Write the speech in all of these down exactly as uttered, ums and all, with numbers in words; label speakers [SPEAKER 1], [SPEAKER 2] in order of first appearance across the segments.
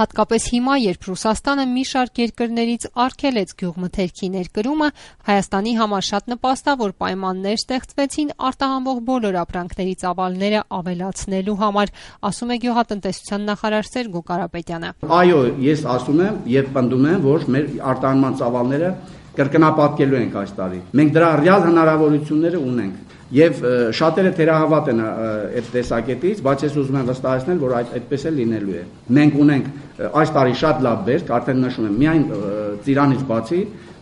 [SPEAKER 1] Հատկապես հիմա, երբ Ռուսաստանը մի շարք երկրներից արգելեց գյուղմթերքի ներկրումը, Հայաստանի համար շատ նպաստ է, որ պայմաններ ստեղծվեցին արտահանվող բոլոր ապրանքների ծավալները ավելացնելու համար, ասում է գյուղատնտեսության նախարար Սերգո Կարապետյանը։
[SPEAKER 2] Այո, ես ասում եմ եւ պնդում եմ, որ մեր արտահանման ծավալները կրկնապատկելու ենք այս տարի։ Մենք դրա ռեալ հնարավորությունները ունենք։ Եվ շատերը թերահավատ են այդ տեսակետից, բայց ես ուզում եմ վստահեցնել, որ այդ այդպես է լինելու է։ Մենք ունենք այս տարի շատ լավ բերք, արդեն նշում եմ, միայն ծիրանից բացի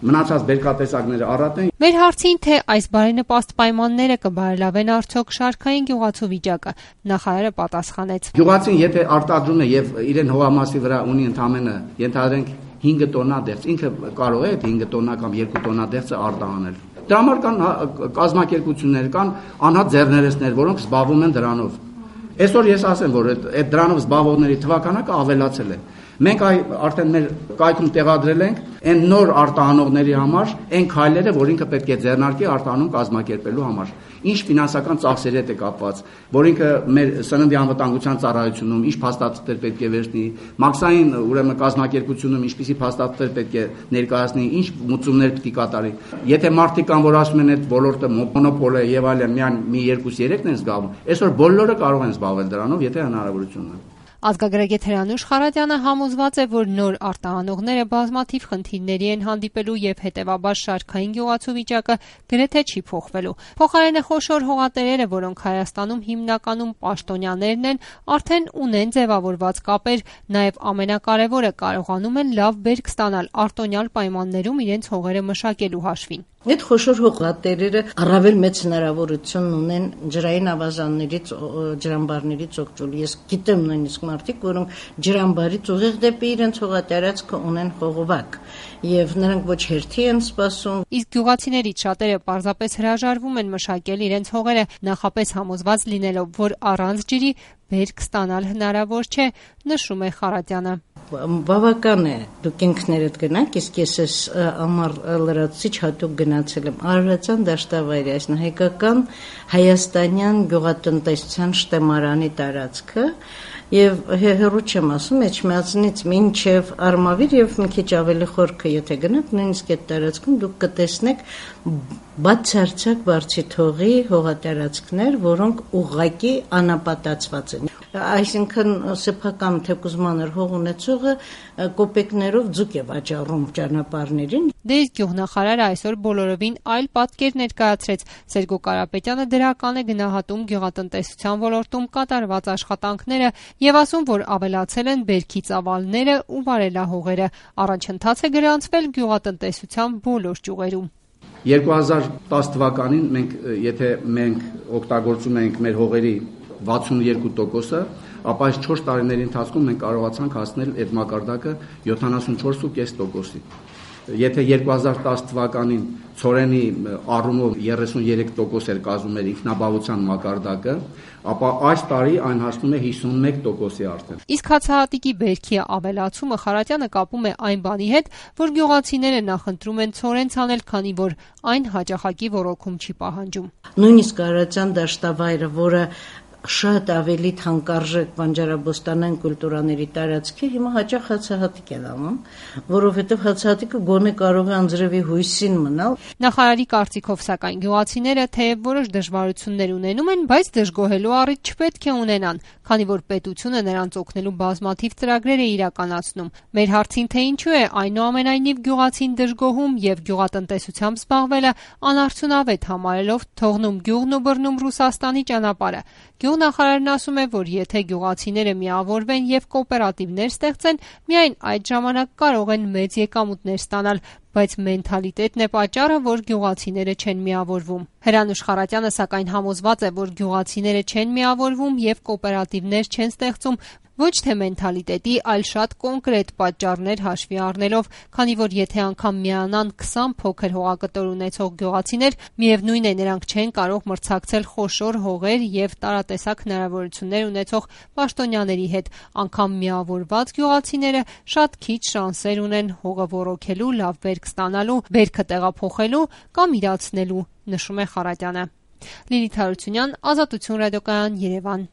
[SPEAKER 2] մնացած բերքատեսակները առատ են։
[SPEAKER 1] Մեր հարցին, թե այս բարենպաստ պայմանները կբարելավեն արդյոք շարքային գյուղացու վիճակը, նախարարը պատասխանեց.
[SPEAKER 2] Գյուղացին եթե արտադրում է եւ իրեն հողամասի վրա ունի ընդամենը ենթադրենք հինգ տոննա դեղց, ինքը կարող է այդ հինգ տոննա կամ երկու տոննա դեղցը արտահանել։ Դրա համար կան կազմակերպություններ, կան անհատ ձեռներեցներ, որոնք զբաղվում են դրանով։ Այսօր ես ասեմ, որ այդ դրանով զբաղվողների թվականակը ավելացել է։ Մենք արդեն մեր կայքում տեղադրել ենք այն նոր արտահանողների համար այն քայլերը, որ ինքը պետք է ձեռնարկի արտահանում կազմակերպելու համար։ Ինչ ֆինանսական ծախսերի հետ է կապված, որ ինքը մեր սննդի անվտանգության ծառայությունում ինչ փաստաթղթեր պետք է վերցնի, մաքսային ուրեմն կազմակերպությունում ինչպիսի փաստաթղթեր պետք է ներկայացնի, ինչ մուծումներ պետք է կատարի։ Եթե մարդիկ կան, որ ասում են այդ ոլորտը մոնոպոլ է եւ այլն, միայն մի երկու երեքն են զբաղվում, այսօր բոլորը կարող են զբաղվել դրանով, եթե հնարավորություն ունեն։
[SPEAKER 1] Ազգագրագետ Հրանուշ Խարատյանը համոզված է, որ նոր արտահանողները բազմաթիվ խնդիրների են հանդիպելու եւ հետեւաբար շարքային գյուղացու վիճակը գրեթե չի փոխվելու։ Փոխարենը խոշոր հողատերերը, որոնք Հայաստանում հիմնականում պաշտոնյաներն են, արդեն ունեն ձևավորված կապեր, նաեւ ամենակարևորը կարողանում են լավ բերք ստանալ արտոնյալ պայմաններում իրենց հողերը մշակելու հաշվին։
[SPEAKER 3] Այդ խոշոր հողատերերը առավել մեծ հնարավորություն ունեն ջրային ավազաններից, ջրամբարներից օգտվել։ Ես գիտեմ նույնիսկ մարդիկ, որոնք ջրամբարից ուղիղ դեպի իրենց հողատարածքը ունեն խողովակ, եւ նրանք ոչ հերթի են սպասում։
[SPEAKER 1] Իսկ գյուղացիներից շատերը պարզապես հրաժարվում են մշակել իրենց հողերը, նախապես համոզված լինելով, որ առանց ջրի բերք ստանալ հնարավոր չէ, նշում է Խարատյանը։
[SPEAKER 3] Բավական է դուք ինքներդ գնաք, իսկ ես ես ամառ լրացուցիչ հատուկ գնացել եմ Արարատյան դաշտավայրի, այս հայկական հայաստանյան գյուղատնտեսության շտեմարանի տարածքը, եւ հերո չեմ ասում, Էջմիածնից մինչեւ Արմավիր եւ մի քիչ ավելի խորքը, եթե գնաք, նույնիսկ այդ տարածքում դուք կտեսնեք բացարձակ բարձիթողի հողատարածքներ, որոնք ուղղակի անապատացված են։ Այսինքն սեփական թեկուզ մանր հող ունեցողը կոպեկներով ձուկ է վաճառում ճանապարհներին։
[SPEAKER 1] Դե իսկ գյուղնախարարը այսօր բոլորովին այլ պատկեր ներկայացրեց։ Սերգո Կարապետյանը դրական է գնահատում գյուղատնտեսության ոլորտում կատարված աշխատանքները եւ ասում, որ ավելացել են բերքի ծավալները ու վարելահողերը։ Առաջընթաց է գրանցվել գյուղատնտեսության բոլոր ճյուղերում։
[SPEAKER 2] երկու հազար տասը թվականին մենք եթե մենք օգտագործում ենք մեր հողերի վաթսունուերկու տոկոսը, ապա այս չորս տարիների ընթացքում մենք կարողացանք հասնել այդ մակարդակը յոթանասունչորս կես տոկոսի։ Եթե երկու հազար տասը թվականին ցորենի առումով երեսունյերեք տոկոս էր կազմում էր ինքնաբավության մակարդակը, ապա այս տարի այն հասնում է հիսունմեկ տոկոսի արդեն։
[SPEAKER 1] Իսկ հացահատիկի բերքի ավելացումը Խարատյանը կապում է այն բանի հետ, որ գյուղացիները նախընտրում են ցորեն ցանել, քանի որ այն հաճախակի ոռոգում չի պահանջում։
[SPEAKER 3] Նույնիսկ Արարատյան դաշտավայրը, որը շատ ավելի թանկարժեք բանջարաբոստանային կուլտուրաների տարածքի, հիմա հաճախ հացահատիկ են անում, որովհետև հացահատիկը գոնե կարող է անձրևի հույսին մնալ։
[SPEAKER 1] Նախարարի կարծիքով, սակայն գյուղացիները թեև որոշ դժվարություններ ունենում են, բայց դժգոհելու առիթ չպետք է ունենան, քանի որ պետությունը նրանց օգնելու բազմաթիվ ծրագրեր է իրականացնում։ Մեր հարցին, թե ինչու է այնուամենայնիվ գյուղացին դժգոհում եւ գյուղատնտեսությամբ զբաղվելը անարդյունավետ համարելով թողնում գյուղն ու բռնում Ռուսաստանի ճանապարհը, Գյուղնախարարն ասում է, որ եթե գյուղացիները միավորվեն եւ կոոպերատիվներ ստեղծեն, միայն այդ ժամանակ կարող են մեծ եկամուտներ ստանալ, բայց մենթալիտետն է պատճառը, որ գյուղացիները չեն միավորվում։ Հրանուշ Խարատյանը սակայն համոզված է, որ գյուղացիները չեն միավորվում եւ կոոպերատիվներ չեն ստեղծում, ոչ թե մենթալիտետի, այլ շատ կոնկրետ պատճառներ հաշվի առնելով, քանի որ եթե անգամ միանան քսան փոքր հողակտոր ունեցող գյուղացիներ, միևնույն է նրանք չեն կարող մրցակցել խոշոր հողեր եւ տարատեսակ հնարավորություններ ունեցող պաշտոնյաների հետ, անգամ միավորված գյուղացիները շատ քիչ շանսեր ունեն հողը ոռոգելու, լավ բերք ստանալու, բերքը տեղափոխելու կամ իրացնելու, նշում է Խարատյանը։ Լիլիթ Հարությունյան, Ազատություն ռադիոկայան, Երևան։